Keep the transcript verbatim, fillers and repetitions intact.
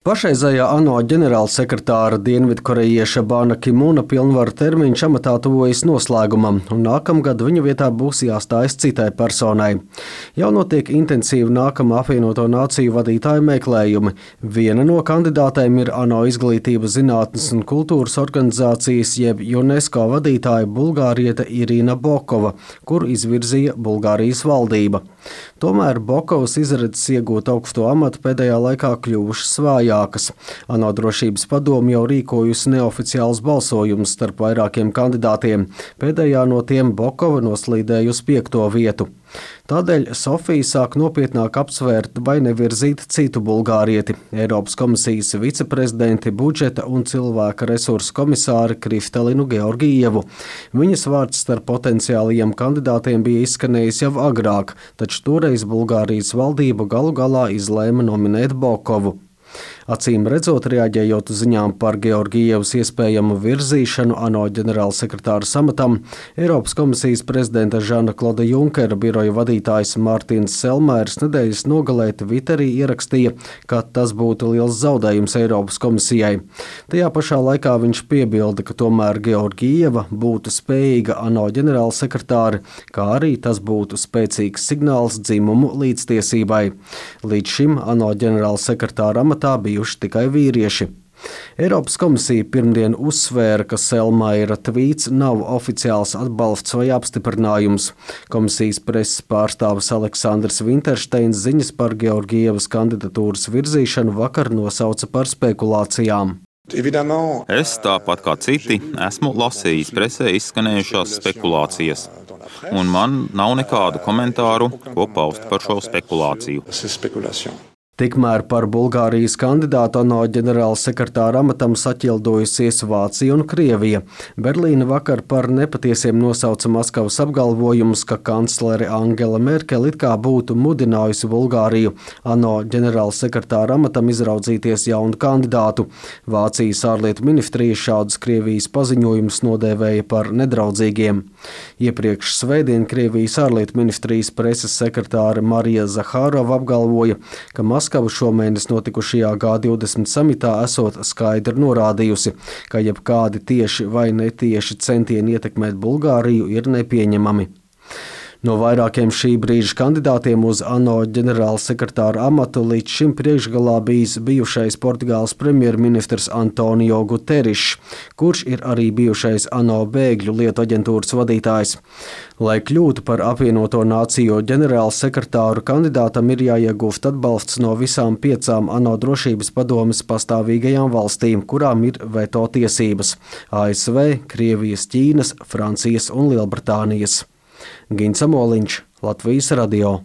Pašreizējā ANO ģenerālsekretāra dienvidkorejieša Bana Ki-mūna pilnvaru termiņš amatā tuvojas noslēgumam, un nākamgad viņa vietā būs jāstājas citai personai. Jau notiek intensīvi nākamā apvienoto nāciju vadītāju meklējumi. Viena no kandidātēm ir ANO izglītības, zinātnes un kultūras organizācijas jeb UNESCO vadītāja bulgāriete Irina Bokova, kuru izvirzīja Bulgārijas valdība. Tomēr Bokovas izredzes iegūt augsto amatu pēdējā laikā kļuvušas vājākas. ANO drošības padome jau rīkojusi neoficiālus balsojumus starp vairākiem kandidātiem. Pēdējā no tiem Bokova noslīdēja uz piekto vietu. Tādēļ Sofija sāk nopietnāk apsvērt, vai nevirzīt citu bulgārieti - Eiropas komisijas viceprezidenti, budžeta un cilvēka resursu komisāri Kristalinu Georgievu. Viņas vārds starp potenciālajiem kandidātiem bija izskanējis jau agrāk, taču toreiz Bulgārijas valdība galu galā izlēma nominēt Bokovu. Acīm redzot, reaģējot uz ziņām par Georgievas iespējamu virzīšanu ANO ģenerālsekretāra amatam, Eiropas komisijas prezidenta Žana Kloda Junkera biroja vadītājs Mārtiņš Selmērs nedēļas nogalē Twitterī ierakstīja, ka tas būtu liels zaudējums Eiropas komisijai. Tajā pašā laikā viņš piebilda, ka tomēr Georgieva būtu spējīga ANO ģenerālsekretāri, kā arī tas būtu spēcīgs signāls dzimumu līdztiesībai. Līdz šim ANO ģenerālsekretāra amatā bijuši tikai vīrieši. Eiropas komisija pirmdien uzsvēra, ka Selmaira tvīts nav oficiāls atbalsts vai apstiprinājums. Komisijas preses pārstāvis Aleksandrs Vintersteins ziņas par Georgievas kandidatūras virzīšanu vakar nosauca par spekulācijām. Es, tāpat kā citi, esmu lasījis presē izskanējušās spekulācijas, un man nav nekādu komentāru, ko paust par šo spekulāciju. Tikmēr par Bulgārijas kandidātu ANO ģenerālsekretāra amatam saķildojusies Vācija un Krievija. Berlīne vakar par nepatiesiem nosauca Maskavas apgalvojumus, ka kanclere Angela Merkele it kā būtu mudinājusi Bulgāriju ANO ģenerālsekretāra amatam izraudzīties jaunu kandidātu. Vācijas ārlietu ministrija šādus Krievijas paziņojumus nodēvēja par nedraudzīgiem. Iepriekš svētdien Krievijas ārlietu ministrijas preses sekretāre Marija Zahārova apgalvoja, ka Maskava Maskava šomēnes notikušajā G divdesmit samitā esot skaidri norādījusi, ka jebkādi tieši vai netieši centieni ietekmēt Bulgāriju ir nepieņemami. No vairākiem šī brīža kandidātiem uz ANO ģenerālsekretāra amatu līdz šim priekšgalā bijis bijušais Portugāles premjerministrs Antonio Guterišs, kurš ir arī bijušais ANO bēgļu lietu aģentūras vadītājs. Lai kļūtu par apvienoto nāciju ģenerālsekretāru, kandidātam ir jāiegūst atbalsts no visām piecām ANO drošības padomes pastāvīgajām valstīm, kurām ir veto tiesības – A S V, Krievijas, Ķīnas, Francijas un Lielbritānijas. Gins Amoliņš, Latvijas radio.